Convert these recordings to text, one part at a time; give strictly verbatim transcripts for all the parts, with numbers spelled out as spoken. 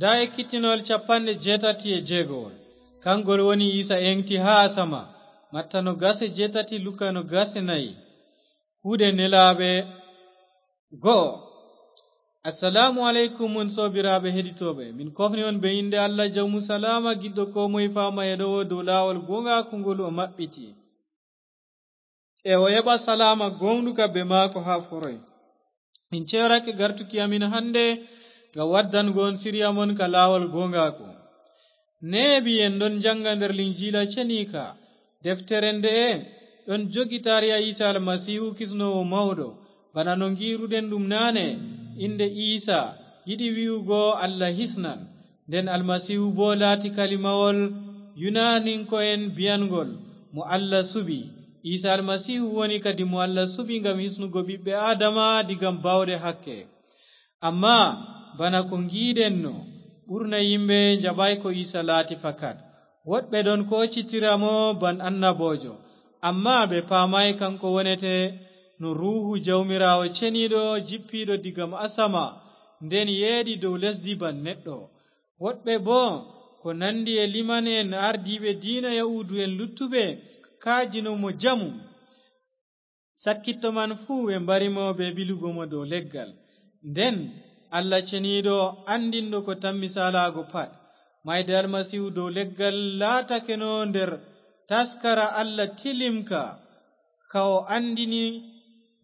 Ndaa ekkitinol capanɗe jeetati e jeegowol. Kangol woni Iisa eŋti haa asama. Matta no gase jeetati, Luka no gase nayi. Kuuɗe nelaaɓe go'o. Assalaamu aleykum, mon soobiraaɓe heɗitooɓe. Min kofni on bee innde Allah jawmu salaama, giɗɗo koo moy faama e ɗowo dow laawol gooŋgaaku ngol o maɓɓiti. E o heɓa salaama gooŋɗuka bee maako haa foroy. Min ceyorake gartuki amin hannde ngam waddango on siriya mon ka laawol gooŋgaaku. Neeɓi en ɗon jaŋnga nder Linjiila ceniika. Deftere nde'e ɗon jogi taariha Iisa Almasiihu kisnoowo mawɗo, bana no ngi'ruɗen ɗum naane. Innde Iisa yiɗi wi'ugo Allah hisnan. Nden Almasiihu boo laati kalimawol Yunaninko'en bi'anŋgol mo Allah suɓi. Iisa Almasiihu woni kadi mo Allah suɓi ngam hisnugo ɓiɓɓe Aadama diga baawɗe hakke. Ammaa bana ko ngi'uɗenno, ɓurna yimɓe njaɓaay ko Iisa laati fakat. Woɗɓe ɗon koocitira mo ban annaboojo, ammaa ɓe paamaay kaŋko wonete no Ruuhu Jawmiraawo Ceniiɗo jippiiɗo diga asama, nden yeeɗi dow lesdi ban neɗɗo. Woɗɓe boo, ko nandi e liman'en ardiiɓe diina Yahuudu'en luttuɓe, kaajino mo jamu. Sakkitto man fuu ɓe mbari mo bee ɓilugo mo dow leggal. Nden Allah Ceniiɗo, anndinɗo ko tammi saalaago pat, maayde Almasiihu dow leggal laatakeno nder taskara Allah tilimka, ka o anndini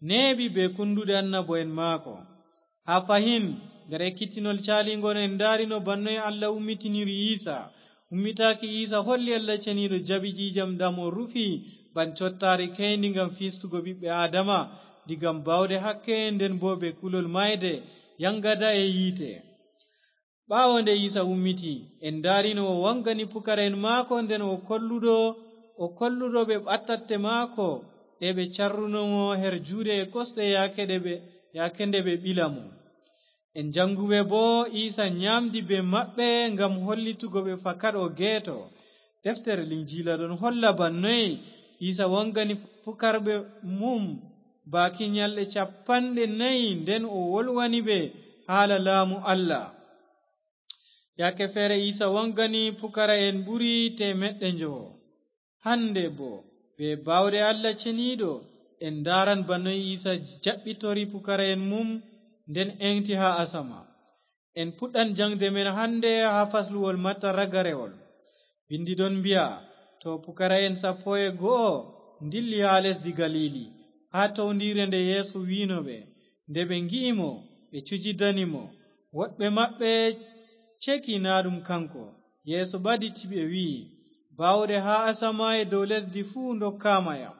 neeɓi bee kunnduɗe annabo'en maako. Haa fahin, nder ekkitinol caaliiŋgol en ndaarino ban noy Allah ummitiniri Iisa. Ummitaaki Iisa holli Allah Ceniiɗo jaɓi ƴiiƴam ɗam o rufi ban cottaari keyndi ngam fiistugo ɓiɓɓe Aadama diga baawɗe hakke, nden boo bee kulol maayde, yaŋgada e yiite. Ɓaawo nde Iisa ummiti, en ndaarino o waŋgani pukara'en maako, nden o kolluɗo, o kolluɗo ɓe ɓattatte maako ɗe ɓe carruno mo her juuɗe e kosɗe yaake ɗe ɓe, yaake nde ɓe ɓila mo. En jaŋguɓe boo Iisa nyaamdi bee maɓɓe ngam hollitugo ɓe fakat o geeto. Deftere Linjiila ɗon holla ban noy Iisa waŋgani pukarɓe mum baaki nyalɗe capanɗe nayi, nden o wolwani ɓe haala laamu Allah. Yaake feere Iisa waŋgani pukara'en ɓuri teemeɗɗe njowo. Hannde boo, bee baawɗe Allah Ceniiɗo, en ndaaran ba noy Iisa jaɓɓitori pukara'en mum, nden eeŋgti haa asama. En puɗɗan jaŋgde men hannde haa fasluwol Matta ragarewol. Binndi ɗon mbi'a, to pukara'en sappo e go'o ndilli haa lesdi Galiili, haa towndiire nde Yeesu wi'no ɓe. Nde ɓe ngi'i mo, ɓe cujidani mo. Woɗɓe maɓɓe ceki naa ɗum kaŋko. Yeesu ɓaditi ɓe, wi'i, "Baawɗe haa asama e dow lesdi fuu ndokkaama yam."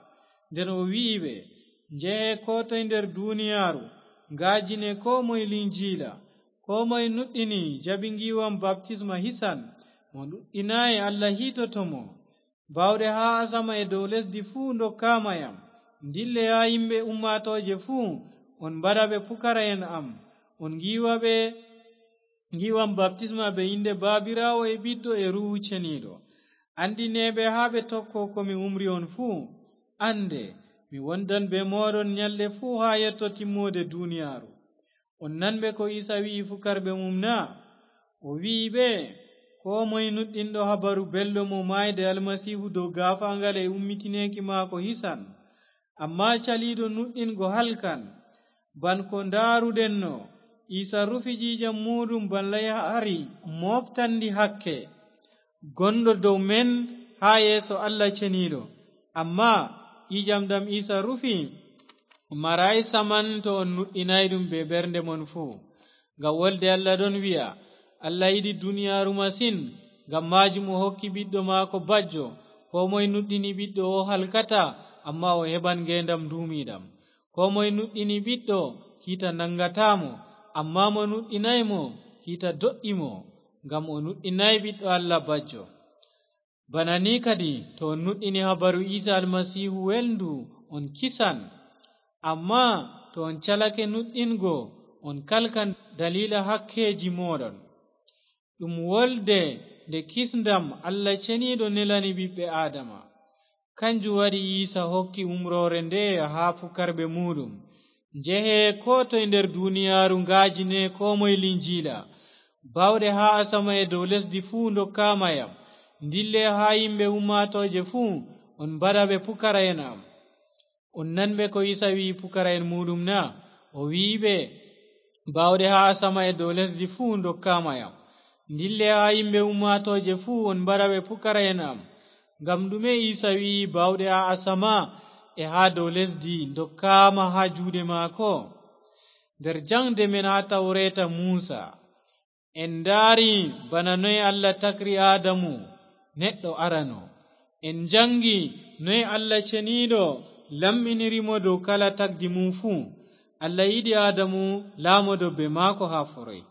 Nden o wi'i ɓe, "Njehe koo toy nder duniyaaru, ngaajine koo moy Linjiila. Koo moy nuɗɗini, jaɓi ngiiwam baptisma hisan, mo nuɗɗinaay, Allah hiitoto mo. Baawɗe haa asama e dow lesdi fuu ndokkaama yam. Ndille haa yimɓe ummaatooje fuu, on mbaɗa ɓe pukara'en am, on ngiiwa ɓe ngiiwam baptisma bee innde Baabiraawo e Ɓiɗɗo e Ruuhu Ceniiɗo. Anndine ɓe haa ɓe tokko ko mi umri on fuu. Annde, mi wondan bee mooɗon nyalɗe fuu haa yetto timmoode duniyaaru." On nanɓe ko Iisa wi'i fukarɓe mum na? O wi'i ɓe, "Koo moy nuɗɗinɗo habaru belɗo mo maayde Almasiihu dow gaafaaŋgal e ummitineeki maako hisan, ammaa caliiɗo nuɗɗingo halkan." Ban ko ndaaruɗenno, Iisa rufi ƴiiƴam muuɗum ban layhaari mooftandi hakke, gonɗo dow men haa yeeso Allah Ceniiɗo. Ammaa ƴiiƴam ɗam Iisa rufi maraay saman to on nuɗɗinaay ɗum bee ɓernde mon fuu. Ngam wolde Allah ɗon wi'a, "Allah yiɗi duniyaaru masin, ngam maajum o hokki Ɓiɗɗo maako bajjo. Koo moy nuɗɗini Ɓiɗɗo o halkataa, ammaa o heɓan ngeendam nduumiiɗam. Koo moy nuɗɗini Ɓiɗɗo, kiita naŋgataa mo, ammaa mo nuɗɗinaay mo, kiita do'i mo, ngam o nuɗɗinaay Ɓiɗɗo Allah bajjo." Bana ni kadi, to on nuɗɗini habaru Iisa Almasiihu welndu, on kisan. Ammaa to on calake nuɗɗingo, on kalkan daliila hakkeeji mooɗon. Ɗum wolde nde kisndam Allah Ceniiɗo nelani ɓiɓɓe Aadama. Kanjum waɗi Iisa hokki umroore nde haa fukarɓe muuɗum, "Njehe koo toy nder duniyaaru, ngaajine koo moy Linjiila. Baawɗe haa asama e dow lesdi fuu ndokkaama yam. Ndille haa yimɓe ummaatooje fuu, on mbaɗa ɓe pukara'en am." On nanɓe ko Iisa wi'i pukara'en muuɗum na? O wi'i ɓe, "Baawɗe haa asama e dow lesdi fuu ndokkaama yam. Ndille haa yimɓe ummaatooje fuu, on mbaɗa ɓe pukara'en am." Ngam ɗume Iisa wi'i baawɗe haa asama e haa dow lesdi ndokkaama haa juuɗe maako? Nder jaŋde men haa Tawreeta Muusa, en ndaari bana noy Allah takri Aadamu, neɗɗo arano. En njaŋgi noy Allah Ceniiɗo lamɗiniri mo dow kala tagdi mum fuu. Allah yiɗi Aadamu laamodo bee maako haa foroy.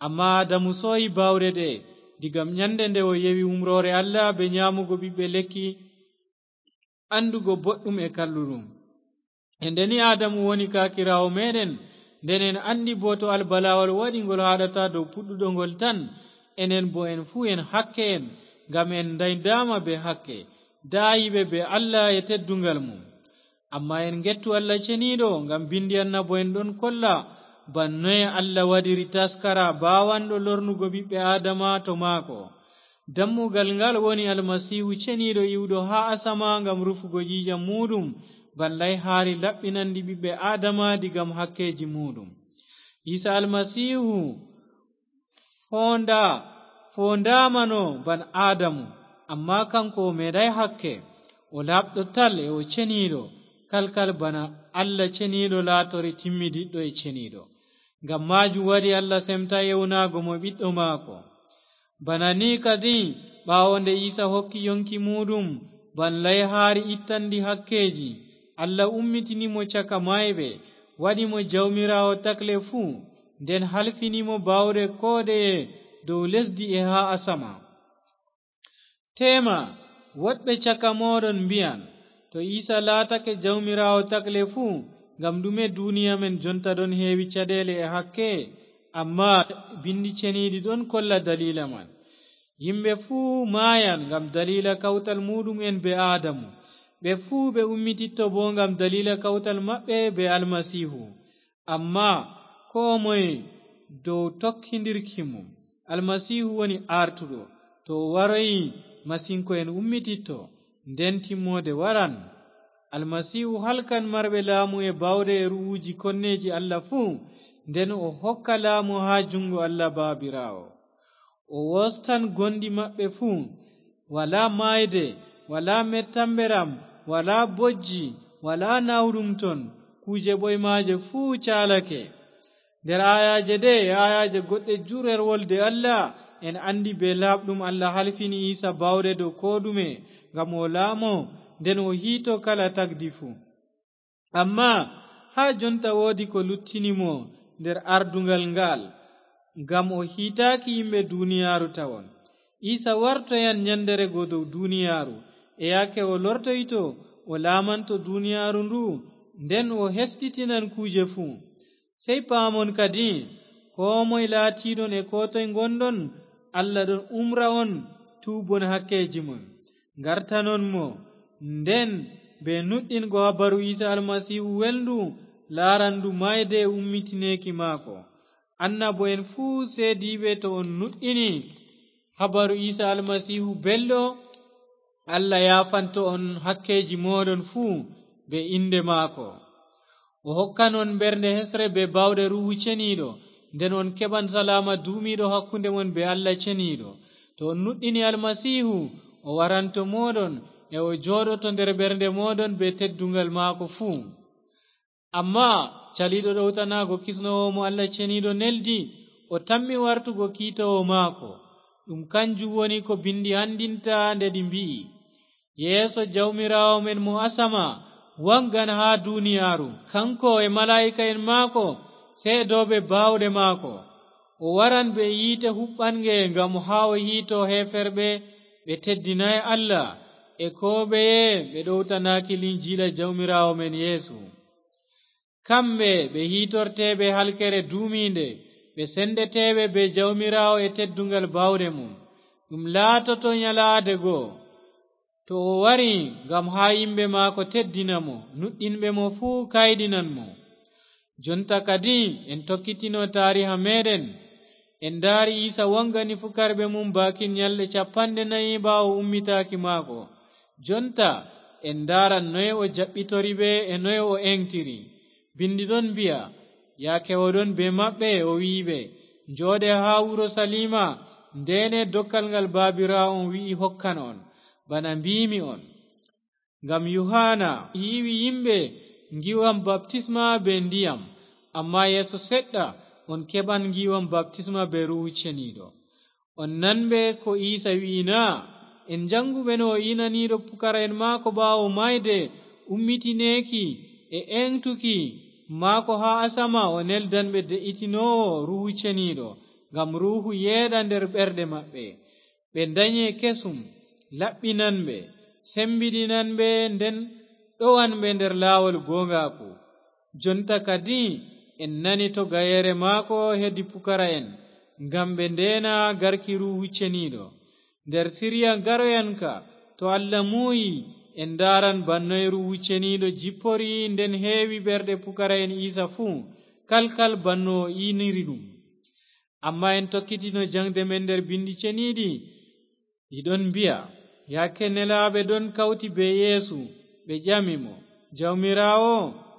Ammaa Aadamu sooyi baawɗe ɗe'e, diga nyande nde o yewi umroore Allah bee nyaamugo ɓiɓɓe lekki anndugo boɗɗum e kalluɗum. E nde ni Aadamu woni kaakiraawo meeɗen, nden en anndi boo to albalaawol waɗi ngol haaɗata dow puɗɗuɗo ngol tan, enen boo en fuu en hakke'en, ngam en ndaydaama bee hakke, daayiiɓe bee Allah e tedduŋgal mum. Ammaa en ngettu Allah Ceniiɗo, ngam binndi annabo'en ɗon kolla bana noye Allah waɗiri taskara baawanɗo lornugo ɓiɓɓe Aadama to maako. Dammugal ngal woni Almasiihu Ceniiɗo iwɗo haa asama ngam rufugo ƴiiƴam muuɗum, bana layhaari laɓɓinanndi ɓiɓɓe Aadama diga hakkeeji muuɗum. Iisa Almasiihu foonda-, foondaamano bana Aadamu, ammaa kaŋko o meeɗaay hakke. O laaɓɗo tal e o ceniiɗo, kalkal bana Allah Ceniiɗo laatori timmidiɗɗo e ceniiɗo. Ngam maajum waɗi Allah semtaay ewnaago mo ɓiɗɗo maako. Bana ni kadi, ɓaawo nde Iisa hokki yonki muuɗum bana layhaari ittanndi hakkeeji, Allah ummitini mo caka maayɓe, waɗi mo Jawmiraawo takle fuu, nden halfini mo baawɗe koo ɗeye dow lesdi e haa asama. Teema, woɗɓe caka mooɗon mbi'an, "To Iisa laatake Jawmiraawo takle fuu, ngam ɗume duniya men jonta ɗon heewi caɗeele e hakke?" Ammaa binndi ceniiɗi ɗon kolla daliila man. Yimɓe fuu maayan ngam daliila kawtal muuɗum'en bee Aadamu. Ɓe fuu ɓe ummititto boo ngam daliila kawtal maɓɓe bee Almasiihu. Ammaa koo moye dow tokkindirki mum. Almasiihu woni aartuɗo. To o waroyi, masinko'en ummititto, nden timmoode waran. Almasiihu halkan marɓe laamu e baawɗe e ru'uuji konneeji Allah fuu, nden o hokka laamu haa juŋŋgo Allah Baabiraawo. O wostan gonɗi maɓɓe fuu. Walaa maayde, walaa mettamɓeram, walaa bojji, walaa naawɗum ton, kuuje ɓoymaaje fuu caalake. Nder aayaaje ɗe e aayaaje goɗɗe jurrer wolde Allah, en anndi bee laaɓɗum Allah halfini Iisa baawɗe dow koo ɗume, ngam o laamo, nden o hiito kala tagdi fuu. Ammaa haa jonta woodi ko luttini mo nder ardugal ngal, ngam o hiitaaki yimɓe duniyaaru tawon. Iisa wartoyan nyandere go dow duniyaaru, e yaake o lortoyto, o laamanto duniyaaru ndu, nden o hesɗitinan kuuje fuu. Sey paamon kadi, koo moy laatiiɗon e koo toy ngonɗon, Allah ɗon umra on tuubon hakkeeji mon, ngartanon mo, nden bee nuɗɗingo habaru Iisa Almasiihu welndu, laaran ndu maayde e ummitineeki maako. Annabo'en fuu seediiɓe to on nuɗɗini habaru Iisa Almasiihu belɗo, Allah yaafanto on hakkeeji mooɗon fuu bee innde maako. O hokkan on ɓernde hesre bee baawɗe Ruuhu Ceniiɗo, nden on keɓan salaama duumiiɗo hakkunde mon bee Allah Ceniiɗo. To on nuɗɗini Almasiihu, o waran to mooɗon, e o jooɗoto nder ɓernde mooɗon bee tedduŋgal maako fuu. Ammaa caliiɗo ɗowtanaago kisnoowo mo Allah Ceniiɗo neldi, o tammi wartugo kiitoowo maako. Ɗum kanjum woni ko Binndi anndinta nde ɗi mbi'i, "Yeeso Jawmiraawo men mo asama waŋgan haa duniyaaru, kaŋko e malaa'ika'en maako, seedooɓe baawɗe maako. O waran bee yiite huɓɓaŋge ngam haa o hiito heeferɓe ɓe teddinaay Allah, e koo ɓeye ɓe ɗowtanaaki Linjiila Jawmiraawo men Yeesu. Kamɓe ɓe hiitorteeɓe halkere duumiinde, ɓe senndeteeɓe bee Jawmiraawo e tedduŋgal baawɗe mum. Ɗum laatoto nyalaade go, to o wari ngam haa yimɓe maako teddina mo, nuɗɗinɓe mo fuu kayɗinan mo." Jonta kadi en tokkitino taariha meeɗen. En ndaari Iisa wangani fukarɓe mum baakin nyalɗe cappanɗe nayi ɓaawo ummitaaki maako. Jonta, en ndaaran noye o jaɓɓitori ɓe e noye o eeŋtiri. Binndi ɗon mbi'a, yaake o ɗon bee maɓɓe, o wi'i ɓe, "Njooɗe haa Urusaliima, ndeene dokkal ngal Baabiraawo on wi'i hokkan on, bana mbiimi on. Ngam Yuhaana yiiwi yimɓe ngi'an baptisma bee ndiyam, ammaa yeeso seɗɗa on keɓan ngi'an baptisma bee Ruuhu Ceniiɗo." On nanɓe ko Iisa wi'i na? En njaŋngu ɓe no o inaniiɗo pukara'en maako ɓaawo maayde, ummitineeki e eeŋtuki maako haa asama, o neldan ɓe de'itinoowo Ruuhu Ceniiɗo, ngam Ruuhu yeeɗa nder ɓerɗe maɓɓe. Ɓe ndanye kesum, laɓɓinan ɓe, sembiɗinan ɓe, nden ɗowan ɓe nder laawol gooŋgaaku. Jonta kadi en nani to gayeere maako hedi pukara'en, ngam ɓe ndeena garki Ruuhu Ceniiɗo. Nder siriya garoyanka, to Allah muuyi, en ndaaran bannoy Ruuhu Ceniiɗo jippori nden heewi ɓerɗe pukara'en Iisa fuu, kalkal banno o iniri ɗum. Ammaa en tokkitino jaŋde men nder Binndi Ceniiɗi, ɗi ɗon mbi'a, yaake nelaaɓe ɗon kawti bee Yeesu, ɓe ƴami mo, "Jawmiraawo,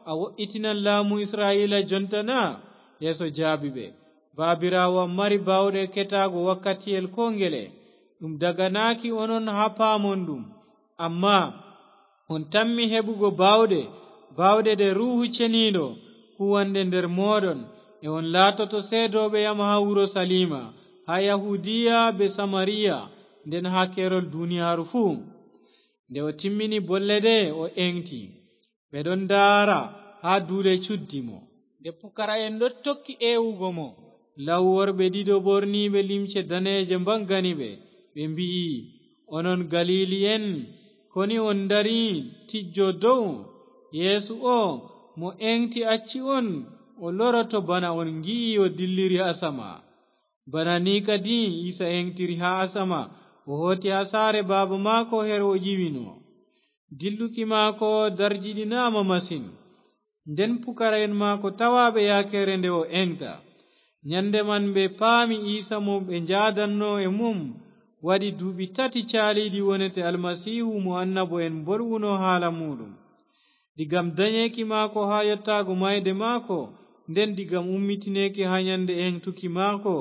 a wo'itinan laamu Isra'iila jonta na?" Yeesu jaabi ɓe, "Baabiraawo am mari baawɗe eketaago wakkatiyel koo ngele. Ɗum daganaaki onon haa paamon ɗum. Ammaa on tammi heɓugo baawɗe, baawɗe ɗe Ruuhu Ceniiɗo kuwanɗe nder mooɗon, e on laatoto seedooɓe am haa Urusaliima, haa Yahuudiya bee Samariya, nden haa keerol duniyaaru fuu." Nde o timmini bolle ɗe, o eeŋti. Ɓe ɗon ndaara haa duule cuddi mo. Nde pukara'en ɗon tokki ewugo mo, law worɓe ɗiɗo ɓorniiɓe limce daneeje mbaŋgani ɓe. Ɓe mbi'i, "Onon Galiili'en, koni on ndari tijjo dow? Yeesu o, mo eeŋti acci on, o loroto bana on ngi'i o dilliri asama." Bana ni kadi Iisa eeŋtiri haa asama, o hooti haa saare Baaba maako her o ƴiwino. Dilluki maako darjiɗinaama masin. Nden pukara'en maako tawaaɓe yaakeere nde o eeŋta. Nyande man ɓe paami Iisa mo ɓe njaadanno e mum waɗi duuɓi tati caaliiɗi wonete Almasiihu mo annabo'en mbolwuno haala muuɗum. Digam danyeeki maako haa yottaago maayde maako, nden digam ummitineeki haa nyande eeŋtuki maako,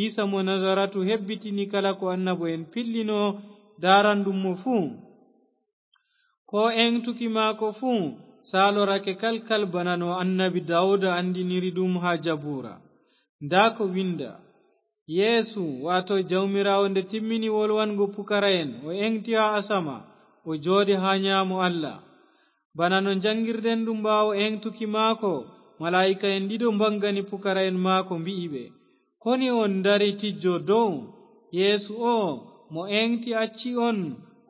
Iisa mo Nazaratu hebbitini kala ko annabo'en pillino daaranɗum mo fuu. Ko eeŋtuki maako fuu saalorake kalkal bana no annabi Daawuda anndiniri ɗum haa Jabuura. Ndaa ko winnda, "Yeesu, waato Jawmiraawo, nde timmini wolwango pukara'en, o eeŋti haa asama, o jooɗi haa nyaamo Allah." Bana no njanngirɗen ɗum, ɓaawo eeŋtuki maako, malaa'ika'en ɗiɗo mbaŋgani pukara'en maako, mbi'i ɓe, "Koni on ndari tijjo dow? Yeesu o, mo eeŋti acci on,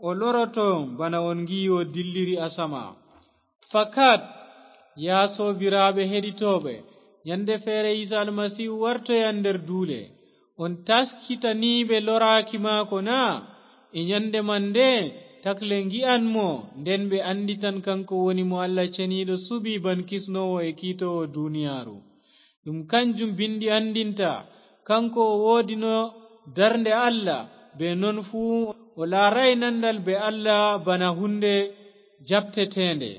o loroto bana on ngi'i o dilliri asama." Fakat, yaa soobiraaɓe heɗitooɓe, nyande feere Iisa Almasiihu wartoyan nder duule. On taskitaniiɓe loraaki maako na? E nyande man nde, takle ngi'an mo, nden ɓe annditan kaŋko woni mo Allah Ceniiɗo suɓi ban kisnoowo e kiitoowo duniyaaru. Ɗum kanjum Binndi anndinta, kaŋko o woodino darnde Allah, bee non fuu o laaraay nandal bee Allah bana huunde jaɓteteende.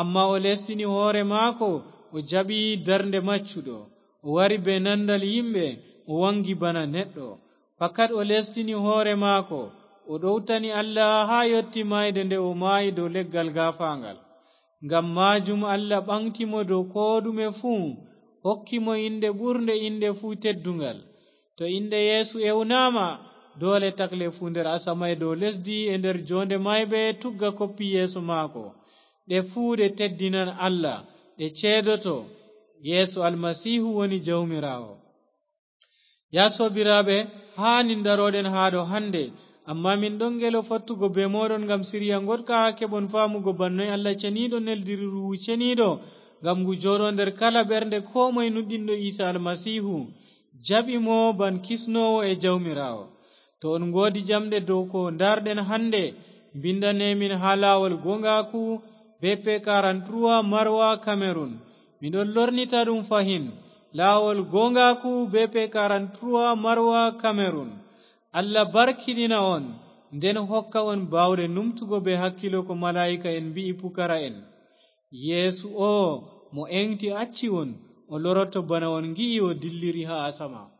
Ammaa o leestini hoore maako, o jaɓi darnde maccuɗo. O wari bee nandal yimɓe, o waŋgi bana neɗɗo. Fakat o leestini hoore maako, o ɗowtani Allah haa yotti maayde nde o maayi dow leggal gaafaaŋgal. Ngam maajum Allah ɓaŋgti mo dow koo ɗume fuu, hokki mo innde ɓurnde innde fuu tedduŋgal. To innde Yeesu ewnaama, doole takle fuu nder asama e dow lesdi e nder joonde maayɓe tugga koppi yeeso maako. Ɗe fuu ɗe teddinan Allah, ɗe ceedoto Yeesu Almasiihu woni Jawmiraawo. Yaa soobiraaɓe, haa nin darooɗen haa ɗo hannde, ammaa min ɗon ngelo fottugo bee mooɗon ngam siriya ngoɗka haa keɓon faamugo ban noy Allah Ceniiɗo neldiri Ruuhu Ceniiɗo ngam ngu jooɗo nder kala ɓernde koo moy nuɗɗinɗo Iisa Almasiihu, jaɓi mo ban kisnoowo e Jawmiraawo. To on ngoodi jamɗe dow ko ndaarɗen hannde, mbinndane min haa laawol gooŋgaaku, B P quarante-trois, Maroua, Cameroun. Mi ɗon lornita ɗum fahin. Laawol goongaaku, B P quarante-trois, Marwa, Cameroun. Allah barkinina on, nden hokka on baawɗe numtugo be hakkilo ko malaa'ika en mbi'i pukara'en. Yeesu oo mo eŋti acci on, o loroto bana on ngi'i o dilliri haa asama.